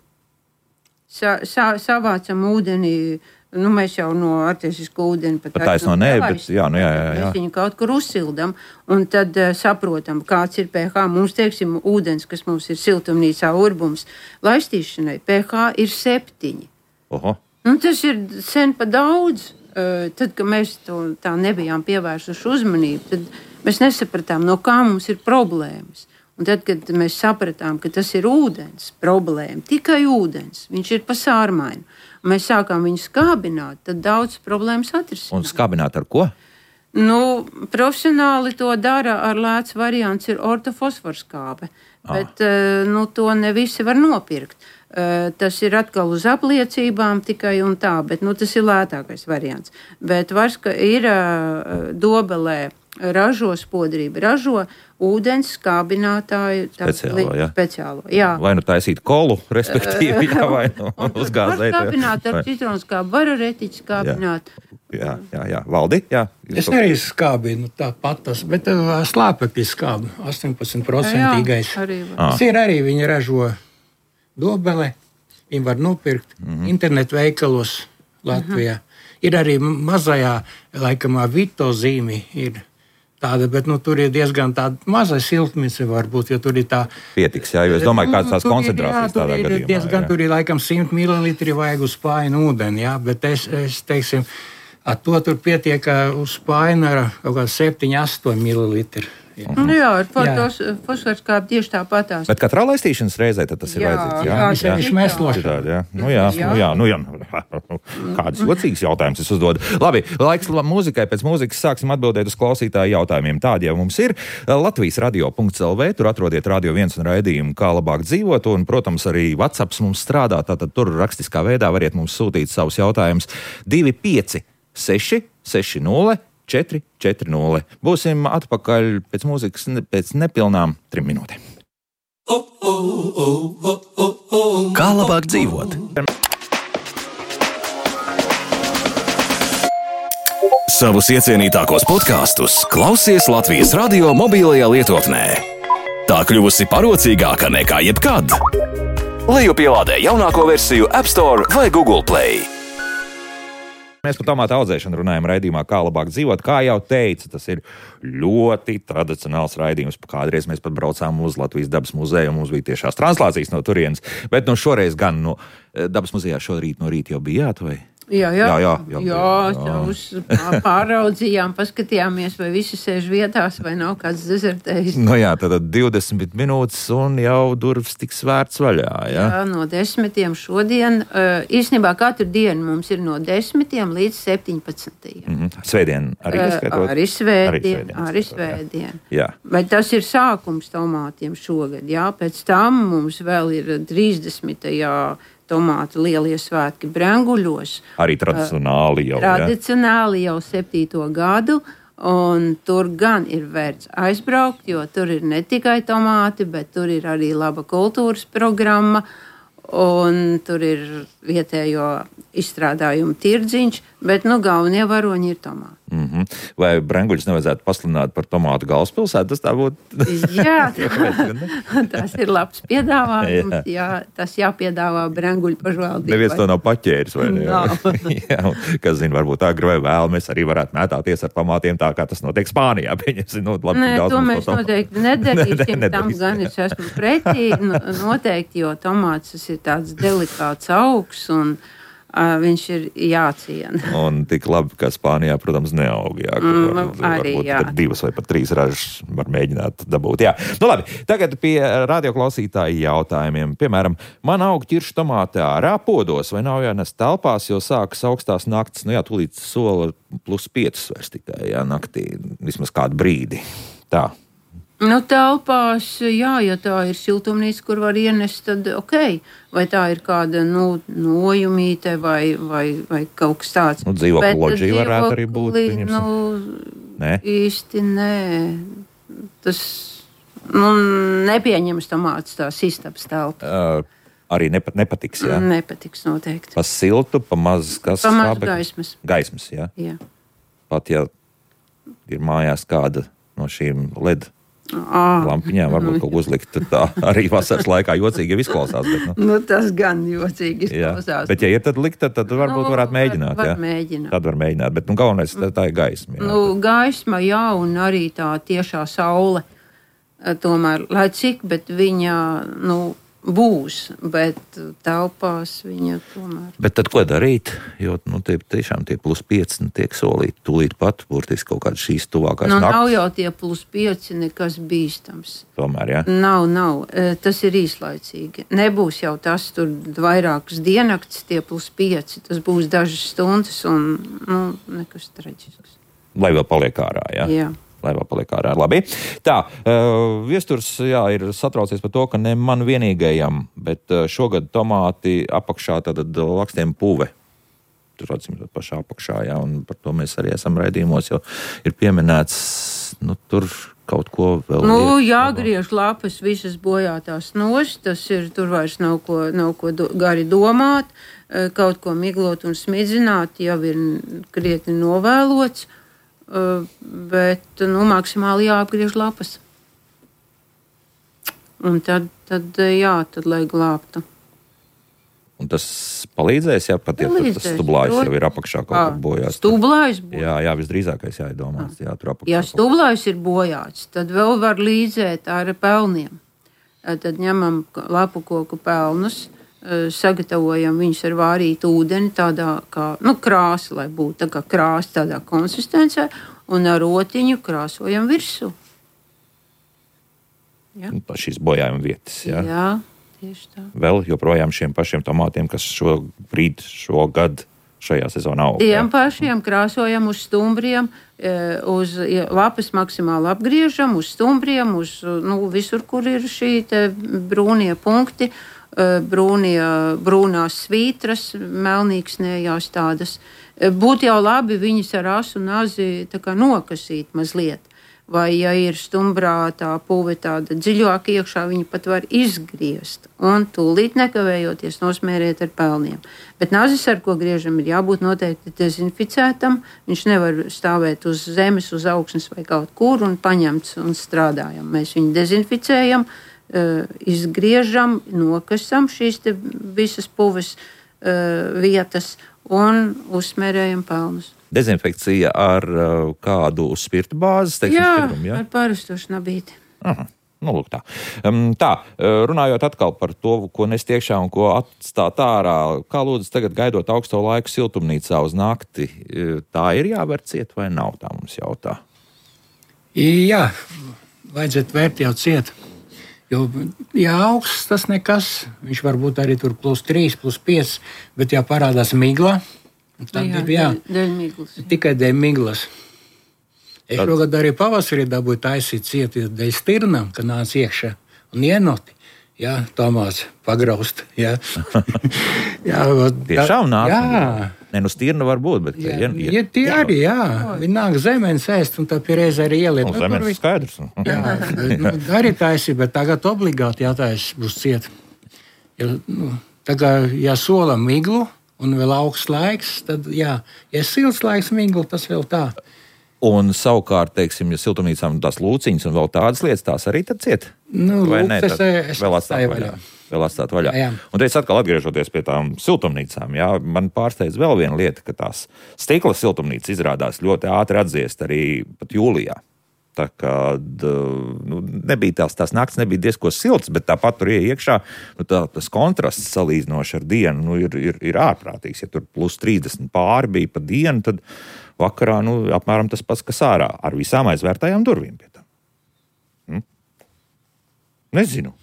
B: Savācam ūdeni, mēs jau no artesisko ūdeni
A: pat taisno nē, bet jā.
B: Mēs viņu kaut kur uzsildam, un tad saprotam, kāds ir pH. Mums, teiksim, ūdens, kas mums ir siltumnīcā urbums, laistīšanai pH ir 7.
A: Oho.
B: Tas ir sen pa daudz. Tad, kad mēs to tā nebijām pievērsuši uzmanību, tad mēs nesapratām, no kā mums ir problēmas. Un tad, kad mēs sapratām, ka tas ir ūdens problēma, tikai ūdens, viņš ir pa sārmainu, un mēs sākām viņu skābināt, tad daudz problēmas atrisināt.
A: Un skābināt ar ko?
B: Profesionāli to dara ar lēts variants ir ortofosforskābe, bet to ne visi var nopirkt. Tas ir atkal uz apliecībām tikai un tā, bet tas ir lētākais variants. Bet varska ir Dobelē ražo spodrību, ražo ūdens skābinātāju speciālo. Jā.
A: Vai taisīt kolu, respektīvi, vai uzgāzēt.
B: Var skābināt ar citronskābu, var ar etiķi skābināt.
A: Jā. Valdi? Jā.
C: Es arī skābinu tāpat tas, bet slāpekļi skābu 18%. Tas ir arī viņi ražo Dobele, viņi var nopirkt internetu veikalos Latvijā. Ir arī mazajā, laikamā Vito zīmi ir tāda, bet tur ir diezgan tāda maza siltumnīca varbūt, jo tur ir tā...
A: Pietiks, jā, jo es domāju, kādas tās koncentrācijas tādā gadījumā.
C: Tur ir laikam 100 ml vajag uz spāinu ūdeni, jā, bet es teiksim, to tur pietiek uz spāinu ar kaut kā 7-8 ml.
B: Ar fosforskābi tieši tāpatās.
A: Bet katrā laistīšanas reizē tas ir vajadzīgs.
C: Viņš mēsloši.
A: Kādas jocīgas jautājumas es uzdodu. Labi, laiks mūzikai. Pēc mūzikas sāksim atbildēt uz klausītāju jautājumiem. Tādi jau mums ir. Latvijas radio.lv, tur atrodiet Radio 1 un raidījumu Kā labāk dzīvot, un, protams, arī WhatsApps mums strādā, tātad tur rakstiskā veidā variet mums sūtīt savus jautājumus 25 6 60 440. Būsim atpakaļ pēc mūzikas pēc nepilnām 3 minūtēm.
E: Kā labāk dzīvot? Savus iecienītākos podkastus klausies Latvijas radio mobilajā lietotnē. Tā kļuvusi parocīgāka nekā jebkad. Lejupielādē jaunāko versiju App Store vai Google Play.
A: Mēs par tomātu audzēšanu runājam raidījumā Kā labāk dzīvot. Kā jau teicu, tas ir ļoti tradicionāls raidījums. Kādreiz mēs pat braucām uz Latvijas dabas muzeju, un mums bija tiešās translācijas no turienes. Bet šoreiz gan Dabas muzejā šorīt no rīta jau bijāt, vai?
B: Jā, pāraudzījām, paskatījāmies, vai visi sēž vietās, vai nav kāds dezertējis.
A: Nu jā, tad 20 minūtes un jau durvis tiks vērts vaļā, jā?
B: Jā, no 10 šodien. Īstenībā katru dienu mums ir no 10 līdz 17.
A: Svētdien arī neskaitot?
B: Arī svētdien.
A: Jā.
B: Vai tas ir sākums tomātiem šogad, jā? Pēc tam mums vēl ir 30. tomātu lielie svētki Brenguļos.
A: Arī tradicionāli jau,
B: Tradicionāli jau 7. gadu, un tur gan ir vērts aizbraukt, jo tur ir ne tikai tomāti, bet tur ir arī laba kultūras programma, un tur ir vietējo izstrādājumu tirdziņš, bet, galvenie varoņi ir tomāti.
A: Vai Brenguļus nevajadzētu pasludināt par tomātu galvaspilsētu? Tas tā būtu.
B: Jā, tas ir labs piedāvājums. Jā, tas jāpiedāvā Brenguļu pašvaldībai.
A: Neviens to nav paķēris, vai ne?
B: Jā,
A: kas zina, varbūt agri vai vēl mēs arī varētu mētāties ar tomātiem tā, kā tas notiek Spānijā.
B: Nē, to mēs noteikti nedarīsim. Tam gan es esmu pretī. Noteikti, jo tomāts tas ir tāds delikāts augs un viņš ir jāciena.
A: Un tik labi, ka Spānijā, protams, neaug. Jā,
B: arī, jā.
A: 2 vai pat 3 ražas var mēģināt dabūt. Jā. Labi, tagad pie radioklausītāju jautājumiem. Piemēram, man aug ķiršu tomāti ārā podos, vai nav jānes telpās, jo sākas augstās naktis, tūlīt sola +5 vairs tikai, naktī, vismaz kādu brīdi. Tā.
B: Telpās, jā, ja tā ir siltumnīca, kur var ienest, tad ok. Vai tā ir kāda, nojumīte vai kaut kas tāds.
A: Dzīvokļu loģija varētu arī būt.
B: Nē? Īsti nē. Tas, nepieņems tomāts tās istabas telpa.
A: Arī nepatiks, jā?
B: Nepatiks noteikti.
A: Pa siltu, pa maz kas?
B: Pa maz gaismas.
A: Gaismas, jā?
B: Jā.
A: Pat, ja ir mājās kāda no šīm LED lampiņām, varbūt kaut ko uzlikt, tā arī vasaras laikā jocīgi jau izklausās. Bet,
B: tas gan jocīgi izklausās.
A: Bet, ja ir tad likt, tad varbūt varētu mēģināt.
B: Var mēģināt.
A: Tad var mēģināt, bet galvenais tā ir gaisma. Jā.
B: Gaisma, jā, un arī tā tiešā saule. Tomēr, lai cik, bet viņa, būs, bet telpās viņa tomēr.
A: Bet tad ko darīt? Jo, tiešām tie +5 tiek solīti tūlīt pat, burtiski kaut kādas šīs tuvākās naktas.
B: Nav jau tie +5 nekas bīstams.
A: Tomēr, jā?
B: Nav. Tas ir īslaicīgi. Nebūs jau tas tur vairākas diennakts, tie +5. Tas būs dažas stundas un, nekas traģisks.
A: Lai vēl paliek ārā, jā?
B: Jā.
A: Lai vēl paliek ārā. Labi. Tā, Viesturs, ir satraucies par to, ka ne man vienīgajam, bet šogad tomāti apakšā tātad lakstiem puve. Tur atsimot pašā apakšā, jā, un par to mēs arī esam raidījumos, jo ir pieminēts, tur kaut ko vēl.
B: Jāgriež lapas visas bojātās nost, tas ir, tur vairs nav ko gari domāt, kaut ko miglot un smidzināt, jau ir krietni novēlots. Bet maksimāli jāapgriež lapas. Un tad lai glābtu.
A: Un tas palīdzēs, ja pat tas stublājs jau ir apakšā kaut kur bojāts.
B: Stublājs bojāts?
A: Jā, visdrīzākais jādomās. Jā, tur apakšā.
B: Ja stublājs ir bojāts, tad vēl var līdzēt ar pelniem. Tad ņemam lapu koku pelnus, sagatavojam viņus ar vārītu ūdeni, tādā kā krāsa, lai būtu tā kā krāsa tādā konsistencē, un ar rotiņu krāsojam virsū. Ja?
A: Šīs bojājuma vietas, jā?
B: Jā, tieši tā.
A: Vēl joprojām šiem pašiem tomātiem, kas šogad šajā sezonā aug.
B: Tiem pašiem krāsojam uz stumbriem, uz lapas maksimāli apgriežam, uz stumbriem, uz visur, kur ir šī te brūnie punkti, brūnās svītras, melnīksnējās tādas. Būtu jau labi viņas ar asu nazi tā kā nokasīt mazliet. Vai, ja ir stumbrā tā puve tāda dziļāk iekšā, viņa pat var izgriezt un tūlīt nekavējoties nosmērēt ar pelniem. Bet nazis, ar ko griežam, ir jābūt noteikti dezinficētam. Viņš nevar stāvēt uz zemes, uz augsnes vai kaut kur un paņemts un strādājam. Mēs viņu dezinficējam, izgriežam, nokasam šīs te visas puves vietas un uzsmērējam pelnus.
A: Dezinfekcija ar kādu spirtu bāzes?
B: Jā, ar parasto šnabīti.
A: Aha. Nu, lūk tā. Runājot atkal par to, ko nest iekšā un ko atstāt ārā, kā lūdzu tagad gaidot augsto laiku siltumnīcā uz nakti, tā ir jāver ciet vai nav, tā mums jautā?
C: Jā, vajadzētu vērt jau ciet. Jo, ja augsts tas nekas, viņš varbūt arī tur +3, +5, bet ja parādās migla, tad
B: dēļ miglas.
C: Tikai dēļ miglas. Es šogad arī pavasarī dabūju taisīt cieti dēļ stirnām, kad nāca iekšā un ienoti. Jā, Tomās pagraust. Jā.
A: Tiešām nāk?
C: Jā.
A: Ne, stirna var būt, bet...
C: Ja tie arī, jā. Viņi nāk zemenes ēst un tā pierreiz arī ieliet.
A: Zemenes skaidrs.
C: Jā, arī taisīt, bet tagad obligāti jātaisa būs ciet. Tagad, ja sola miglu un vēl augsts laiks, tad jā. Ja silts laiks miglu, tas vēl tā.
A: Un savukārt, teiksim, ja siltumnīcām tās lūciņas un vēl tādas lietas, tās arī tad ciet? Vai ne? Vēl atstāt vaļā.
C: Jā.
A: Un teicu atkal atgriežoties pie tām siltumnīcām, jā, man pārsteidz vēl viena lieta, ka tās stikla siltumnīcas izrādās ļoti ātri atdziest arī pat jūlijā. Tā kā nebija tās nakts nebija diezko silts, bet tāpat tur iekšā tas kontrasts salīdzinoši ar dienu ir ārprātīgs. Ja tur +30 pāri bija pa dienu, tad vakarā apmēram tas pats, kas ārā, ar visām aizvērtajām durvīm pie tam. Nezinu,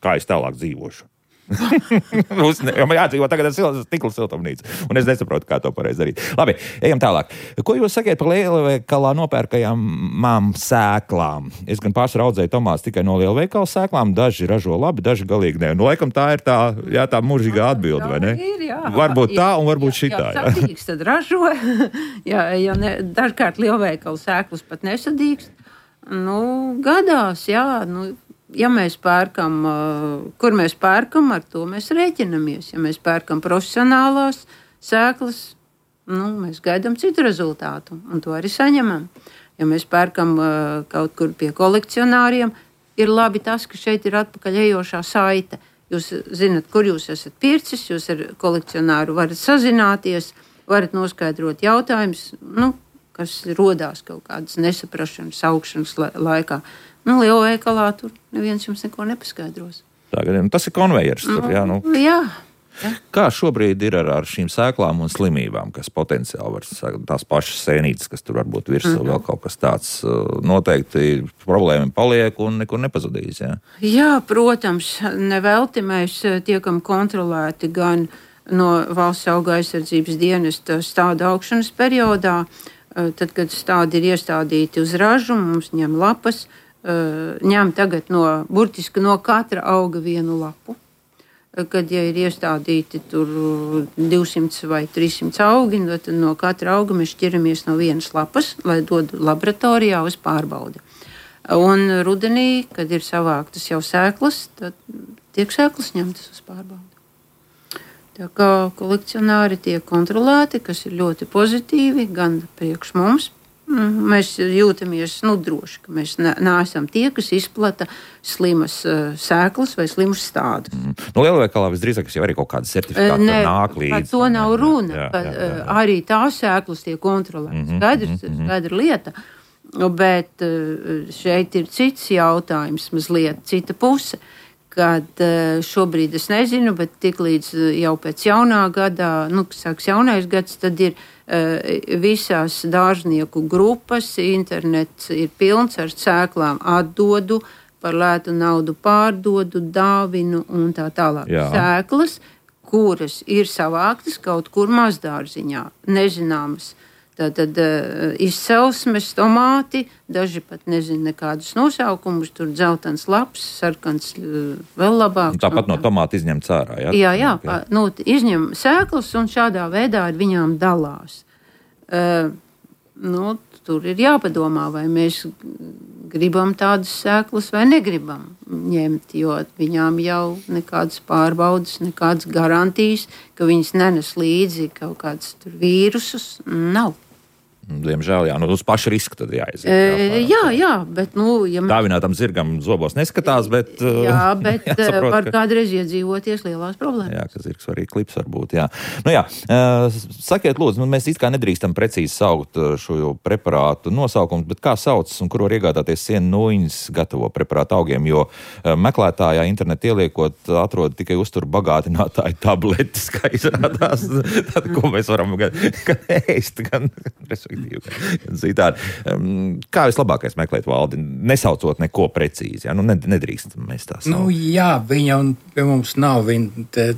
A: kā es tālāk dzīvošu. Jādzīvo tagad ar stikla siltumnīcu, un es nesaprotu, kā to pareizi darīt. Labi, ejam tālāk. Ko jūs sakiet par lielveikalā nopērkajām sēklām? Es gan pārsvarā audzēju tomātus tikai no lielveikala sēklām, daži ražo labi, daži galīgi ne. Laikam tā ir tā mūžīgā atbilde, vai ne?
B: Ir, jā.
A: Varbūt tā un varbūt šitā.
B: Jā, sadīgs tad ražo. Dažkārt lielveikala sēklas pat nesadīgs. Gadās, jā, ja mēs pērkam, kur mēs pērkam, ar to mēs rēķinamies. Ja mēs pērkam profesionālās sēklas, mēs gaidām citu rezultātu, un to arī saņemam. Ja mēs pērkam kaut kur pie kolekcionāriem, ir labi tas, ka šeit ir atpakaļ ejošā saite. Jūs zinat, kur jūs esat pircis, jūs ar kolekcionāru varat sazināties, varat noskaidrot jautājumus, kas rodās kaut kādas nesaprašanas, augšanas laikā. Lielveikalā tur neviens jums neko nepaskaidros.
A: Tas ir konvejers.
B: Jā.
A: Kā šobrīd ir ar šīm sēklām un slimībām, kas potenciāli var tās pašas sēnītes, kas tur varbūt virsū vēl kaut kas tāds, noteikti problēma paliek un nekur nepazudīs?
B: Jā, protams, nevelti mēs tiekam kontrolēti gan no Valsts auga aizsardzības dienesta stāda augšanas periodā, tad, kad stādi ir iestādīti uz ražu, mums ņem lapas, ņem tagad burtiski no katra auga vienu lapu. Kad ir iestādīti tur 200 vai 300 augi, tad no katra auga mēs šķiramies no vienas lapas, lai dodu laboratorijā uz pārbaudi. Un rudenī, kad ir savāktas jau sēklas, tad tiek sēklas ņemtas uz pārbaudi. Tā kā kolekcionāri tiek kontrolēti, kas ir ļoti pozitīvi, gan priekš mums. Mēs jūtamies droši, ka mēs neesam tie, kas izplata slimas sēklas vai slimus stādus.
A: Lielveikalā visdrīzāk jau arī kaut kāda certifikāta nāk līdzi.
B: Par to nav runa. Arī tās sēklas tiek kontrolētas. Skaidra lieta. Bet šeit ir cits jautājums, mazliet cita puse. Kad šobrīd es nezinu, bet tiklīdz jau pēc jaunā gadā, sāks jaunais gads, tad ir visās dārznieku grupas, internets ir pilns ar sēklām, atdodu, par lētu naudu pārdodu, dāvinu un tā tālāk. Jā. Sēklas, kuras ir savāktas kaut kur mazdārziņā, nezināmas. Tātad izcelsmes tomāti, daži pat nezina nekādus nosaukumus, tur dzeltens laps, sarkans vēl labāk.
A: Tāpat no tomāta izņemts ārā, jā?
B: Jā, okay. Izņem sēklas un šādā veidā ar viņām dalās. Tur ir jāpadomā, vai mēs gribam tādas sēklas vai negribam ņemt, jo viņām jau nekādas pārbaudas, nekādas garantijas, ka viņas nenes līdzi kaut kādus tur vīrusus, nav.
A: Diemžēl, jā, uz pašu risku tad jāiziet.
B: Jā, bet, ja
A: dāvinātam zirgam zobos neskatās, bet...
B: Jā, bet var kādreiz iedzīvoties lielās problēmas.
A: Jā, ka zirgs arī klips var būt, jā. Sakiet, lūdzu, mēs it kā nedrīkstam precīzi saukt šo preparātu nosaukumus, bet kā saucas un kur var iegādāties sienu nūjiņas gatavo preparātu augiem, jo meklētājā internetu ieliekot atrod tikai uzturu bagātinātāju tabletes, kā izrādās. Tad, ko mēs varam gan ēst, gan citādi. Kā vislabākais meklēt, Valdi, nesaucot neko precīzi? Ja? Nedrīkst mēs tā saukt.
C: Jā, viņa un pie mums nav. Viņa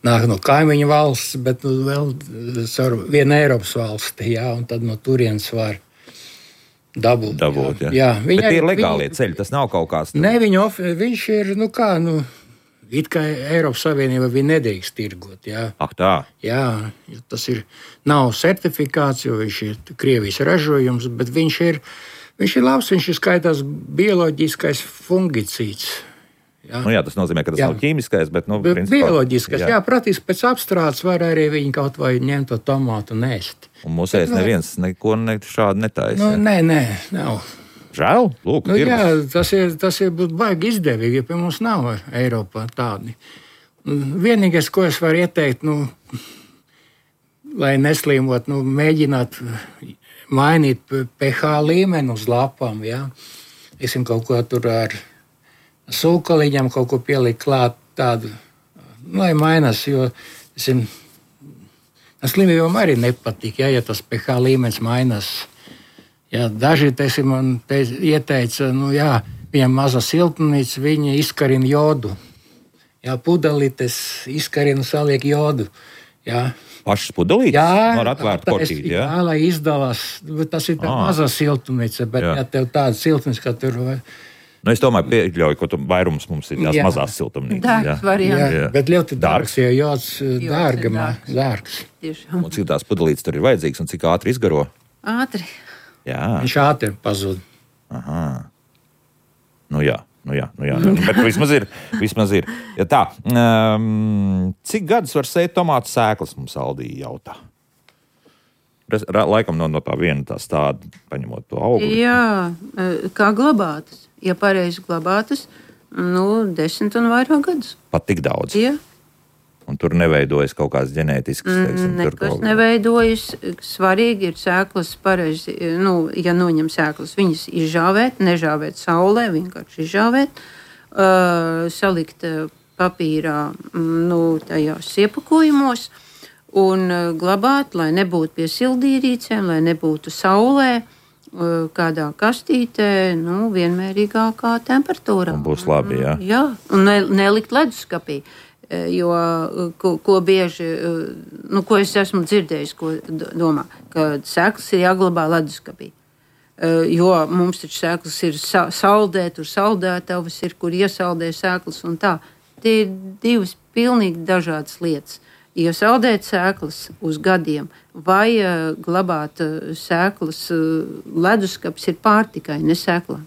C: nāk no kaimiņu valsts, bet vēl viena Eiropas valsti, jā, un tad no turienes var dabūt. Jā.
A: Bet tie ir legālie ceļi, tas nav kaut kāds...
C: Nē, viņš ir, it kā Eiropas Savienība viņa nedrīkst tirgot, jā.
A: Tā?
C: Jā, tas nav certifikāts, jo viņš ir Krievijas ražojums, bet viņš ir labs, viņš ir skaitās bioloģiskais fungicīds.
A: Jā. Tas nozīmē, ka tas nav ķīmiskais, bet, principā...
C: Bioloģiskais, jā, praktiski pēc apstrādes var arī viņi kaut vai ņemt to tomātu un ēst.
A: Un mūsēs neviens neko šādu netaisa.
C: Nē, nav.
A: Žēl, lūk,
C: jā, tas ir baigi izdevīgi, jo pie mums nav Eiropā tādi. Vienīgais, ko es varu ieteikt, lai neslīmot, mēģināt mainīt pH līmeni uz lapām, jā. Esim kaut ko tur ar sūkaliņam, kaut ko pielikt klāt tādu, lai mainās, jo, slimībām arī nepatīk, ja tas pH līmenis mainās. Jā, daži man ieteica, viņam maza siltumnīca, viņi izkarina jodu. Jā, pudelītes izkarina, saliek jodu. Jā.
A: Pašas pudelītes?
C: Jā,
A: var atvērt korķīt, jā?
C: Jā, lai izdalās. Tas ir tā maza siltumnīca, bet ja tev tāda siltumnīca, ka tur...
A: Es domāju, pieļauju, ka vairums mums ir tās mazās siltumnīcas.
B: Dārgs variants.
C: Jā, bet ļoti dārgs, jo jods dārgs.
A: Un cik tās pudelītes tur ir vajadzīgas un cik ātri izgaro?
B: Ātri.
A: Jā.
C: Viņš ātri pazūd.
A: Aha. Jā. Bet vismaz ir. Ja tā, cik gadus var sēt tomātu sēklas, mums Aldī jautā? Laikam no tā viena tā stāda, paņemot to augli.
B: Jā, kā glabātas. Ja pareizi glabātas, 10 un vairāk gadus.
A: Pat tik daudz?
B: Jā.
A: Un tur neveidojas kaut kāds ģenētisks,
B: nekas neveidojas. Svarīgi ir sēklas pareizi, ja noņem sēklas, viņas izžāvēt, nežāvēt saulē, vienkārši izžāvēt, salikt papīrā, tajās iepakojumos un glabāt, lai nebūtu pie sildīrīcēm, lai nebūtu saulē, kādā kastītē, vienmērīgākā temperatūrā.
A: Un būs labi, jā.
B: Jā, un nelikt leduskapī. Jo, ko bieži, ko es esmu dzirdējis, ko domā, ka sēklas ir jāglabā leduskapī. Jo mums taču sēklas ir saldē, tur saldētavas ir, kur iesaldē sēklas un tā. Tie ir divas pilnīgi dažādas lietas. Ja saldēt sēklas uz gadiem vai glabāt sēklas leduskapis ir pārtikai, ne sēklām.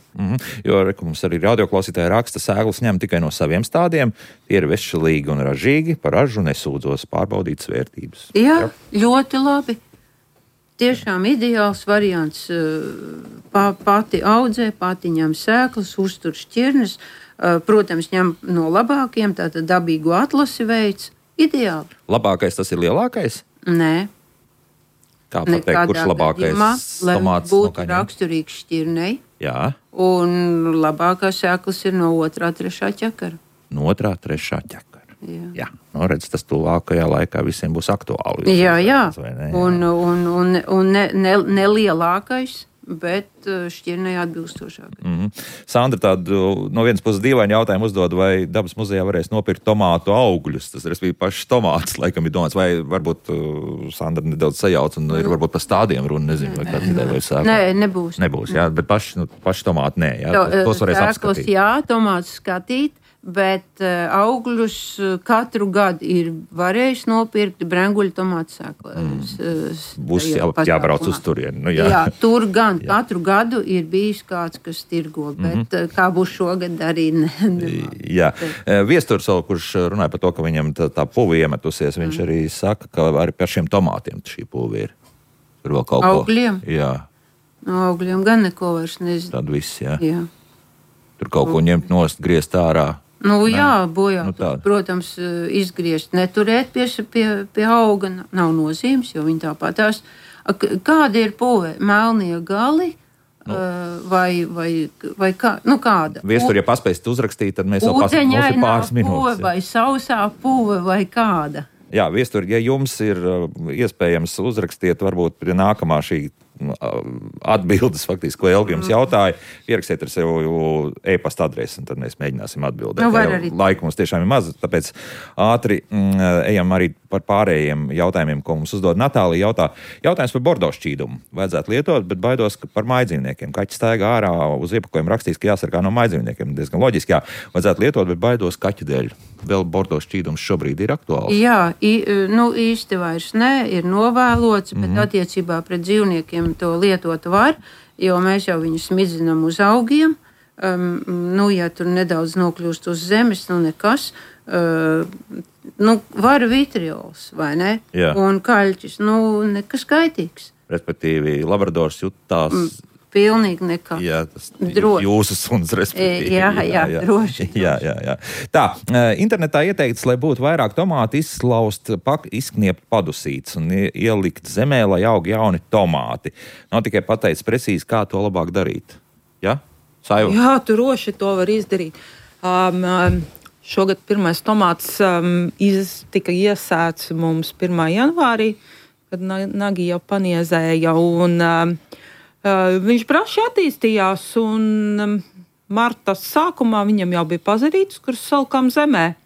A: Jo mums arī radioklausītāji raksta, sēklas ņem tikai no saviem stādiem, tie ir veselīgi un ražīgi, par ražu nesūdzos, pārbaudītas vērtības.
B: Jā, ļoti labi. Tiešām ideāls variants. Pati audzē, pati ņem sēklas, uztur šķirnes, protams, ņem no labākiem, tātad dabīgu atlasi veids. Ideāli.
A: Labākais tas ir lielākais?
B: Nē.
A: Kā pateikt, kurš labākais tomāts
B: būtu no raksturīgs šķirnei?
A: Jā.
B: Un labākās sēklas ir no 2., 3. ķekara.
A: No 2., 3. ķekara. Jā. Redz, tas tuvākajā laikā visiem būs aktuāli.
B: Jā. Un nelielākais. Bet šķirnei atbilstošāk.
A: Sandra tādu no vienas puses dīvainu jautājumu uzdod, vai Dabas muzejā varēs nopirkt tomātu augļus. Tas ir pašs tomāts, laikam ir domāts, vai varbūt Sandra nedaudz sajauc un ir varbūt par stādiem runa, nezinu, vai kāds ideja vai sākā.
B: Nē, nebūs.
A: Nebūs, jā, bet paši tomāti nē, jā, tos varēs apskatīt.
B: Jā, tomātus skatīt. Bet augļus katru gadu ir varējis nopirkt brenguļu tomātu sēklas.
A: Būs jābrauc uz turieni.
B: Jā, tur gan katru gadu ir bijis kāds, kas tirgo, bet kā būs šogad arī
A: Jā. Viesturs, kurš runāja par to, ka viņam tā puvi iemetusies, viņš arī saka, ka arī par šiem tomātiem šī puvi ir. Tur vēl kaut
B: Augļiem?
A: ko. Jā.
B: No augļiem gan neko vairs nezinu.
A: Tad viss, jā.
B: Jā.
A: Tur kaut ko ņemt nost, griezt ārā.
B: Jā, bojāt.
A: tāda.
B: Protams, izgriezt, neturēt pie auga nav nozīmes, jo viņi tāpatās. Kāda ir pūve? Melnie gali? Vai kā? Kāda?
A: Viestur, ja paspēsit uzrakstīt, tad mēs vēl paspēsim pāris minūtes.
B: Pūve vai sausā pūve vai kāda?
A: Jā, Viestur, ja jums ir iespējams uzrakstiet, varbūt pie nākamā šī atbildes, faktiski, ko Elga jums jautāja, ierakstiet ar sevi e-pasta adresi, un tad mēs mēģināsim atbildēt. Laika mums tiešām ir maz, tāpēc ātri ejam arī par pārējiem jautājumiem, ko mums uzdod Natālija. Jautājums par bordo šķīdumu. Vajadzētu lietot, bet baidos par mājdzīvniekiem. Kaķis staigā ārā, uz iepakojuma rakstīs, ka jāsargā no mājdzīvniekiem. Diezgan loģiski, jā. Vajadzētu lietot, bet baidos kaķu dēļ. Vēl bordo šķīdums šobrīd ir aktuāls.
B: Jā, īsti vairs ne, ir novēlots, bet attiecībā pret dzīvniekiem to lietot var, jo mēs jau viņus smidzinām uz augiem. Ja tur nedaudz nokļūst uz zemes, nekas. Var vitriols, vai ne?
A: Jā.
B: Un kaļķis, nekas kaitīgs.
A: Respektīvi, labradors jutās...
B: Pilnīgi nekā.
A: Jā, tas jūsu suns, respektīvi.
B: Jā, droši.
A: Jā. Tā, internetā ieteikts, lai būtu vairāk tomātu, izkniept padusītes un ielikt zemē, lai aug jauni tomāti. Nav tikai pateicis precīzi, kā to labāk darīt. Ja? Saiva?
D: Jā, tu droši to var izdarīt. Šogad pirmais tomāts tika iesēts mums 1. janvārī, kad nagi jau paniezēja un... Viņš braši attīstījās, un marta sākumā viņam jau bija pazarītas, kuras salikām zemē.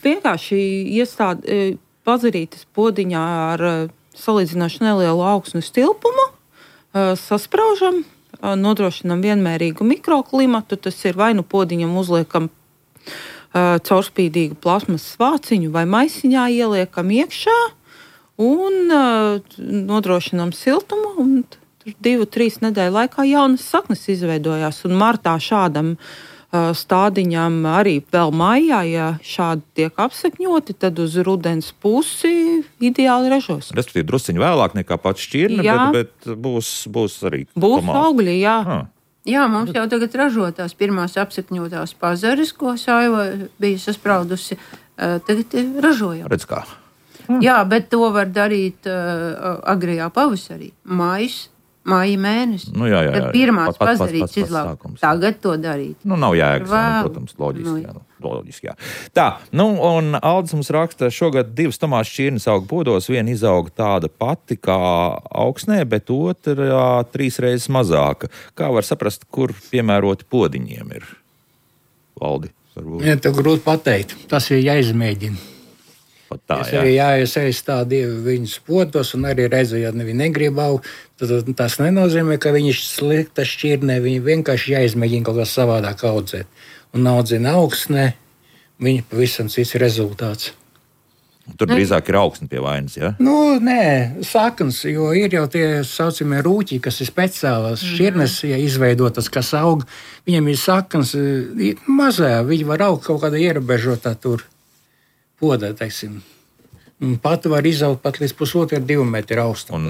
D: Vienkārši pazarītas podiņā ar salīdzinoši nelielu augsnes tilpumu, saspraužam, nodrošinam vienmērīgu mikroklimatu. Tas ir vai nu podiņam uzliekam caurspīdīgu plasmas vāciņu vai maisiņā ieliekam iekšā un nodrošinam siltumu. Un 2-3 nedēļu laikā jaunas saknes izveidojās. Un martā šādam stādiņam arī vēl maijā, ja šādi tiek apsekņoti, tad uz rudens pusi ideāli ražos.
A: Respektīvi, drusciņi vēlāk nekā pats šķirne, bet būs arī
D: būs augļi, jā.
B: Jā, mums jau tagad ražo tās pirmās apsekņotās pazares, ko Saiva bija saspraudusi. Tagad ražojam.
A: Redz kā.
B: Jā, bet to var darīt agrajā pavasarī. Māja mēnesis.
A: Jā.
B: Kad pirmās pazarītas izlaukt. Tagad to darīt.
A: Nav jēgas, protams, loģiski, jā. Tā, un Aldis mums raksta, šogad 2 tomātu šķirnes aug podos, viena izauga tāda pati kā augsnē, bet otrā 3 reizes mazāka. Kā var saprast, kur piemēroti podiņiem ir? Valdi, varbūt.
C: Ja, to grūti pateikt. Tas ir jāizmēģina. Es arī jāiesaist tādi viņas podos, un arī redzēju, ja viņi negrib augt, tad tas nenozīmē, ka viņi slikta šķirnē, viņi vienkārši jāizmēģina kaut kā savādāk audzēt. Un audzina augsnē, viņi pavisam cits rezultāts.
A: Tur drīzāk ir augsne pie vainas, ja?
C: Nē, saknes, jo ir jau tie saucamie rūķi, kas ir speciālās šķirnes, ja izveidotas, kas aug, viņiem ir saknes mazā, viņi var augt kaut kādā ierobežotā tur. Podā, teiksim. Pat var izaugt pat līdz 1,5–2 metru augstam.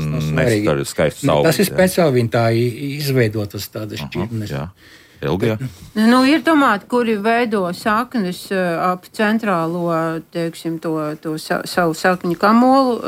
C: Tas ir speciāli viņi tā izveidotas tādas šķirnes.
A: Elga?
B: Ir tomāti, kuri veido saknes ap centrālo, teiksim, to savu sakņu kamolu,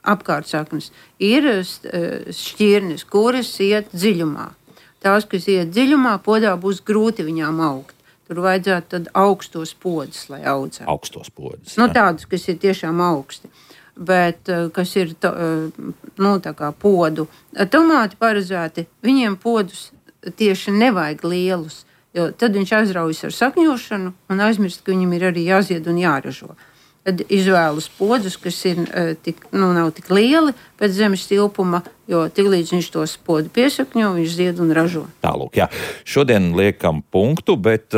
B: apkārt saknes. Ir šķirnes, kuras iet dziļumā. Tās, kas iet dziļumā, podā būs grūti viņām augt. Tur vajadzētu tad augstos podus, lai audzētu.
A: Augstos podus.
B: Tādus, kas ir tiešām augsti. Bet, kas ir tā kā podu. Tomāti paredzēti, viņiem podus tieši nevajag lielus, jo tad viņš aizraujas ar sakņošanu un aizmirst, ka viņam ir arī jāzied un jāražo. Tad izvēlas podus, kas ir nav tik lieli pēc zemes tilpuma, jo tiklīdz viņš tos podu piesakņo, viņš zied un ražo.
A: Tālūk, jā. Šodien liekam punktu, bet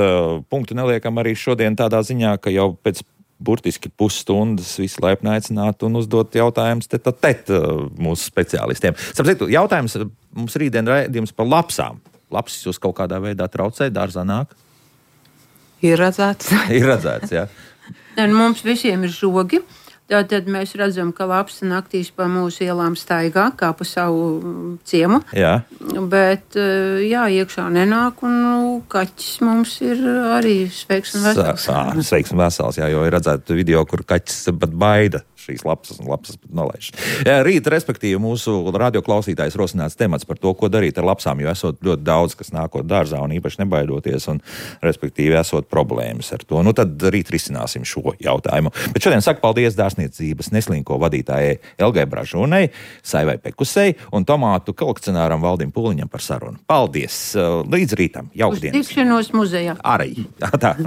A: punktu neliekam arī šodien tādā ziņā, ka jau pēc burtiski pusstundas visi laipni aicinātu un uzdot jautājumus mūsu speciālistiem. Sapratu, jautājums mums rītdien raidījums par lapsām. Lapsis jūs kaut kādā veidā traucē, dārzā nāk?
D: Ir redzēts.
A: Ir redzēts, jā.
B: Mums visiem ir žogi. Tātad mēs redzam, ka lapsa naktīs pa mūsu ielām staigā, kā pa savu ciemu.
A: Jā.
B: Bet, jā, iekšā nenāk, un kaķis mums ir arī sveiks un vesels.
A: Sveiks un vesels, jā, jo ir redzēt video, kur kaķis pat baida šīs lapsas un lapsas pat nolaiž. Rīt, respektīvi, mūsu radioklausītājs rosināts temats par to, ko darīt ar lapsām, jo esot ļoti daudz, kas nākot dārzā un īpaši nebaidoties un, respektīvi, esot problēmas ar to. Nu, tad rīt risināsim šo jautājumu. Bet šodien saku paldies dārzniecības neslinko vadītājai Elgai Bražūnei, Saivai Pekusei un tomātu kolekcionāram Valdim Pūliņam par sarunu. Paldies! Līdz rītam! Jauka dienas!
B: Uz tikšanos muzejā!
A: Arī! Tā.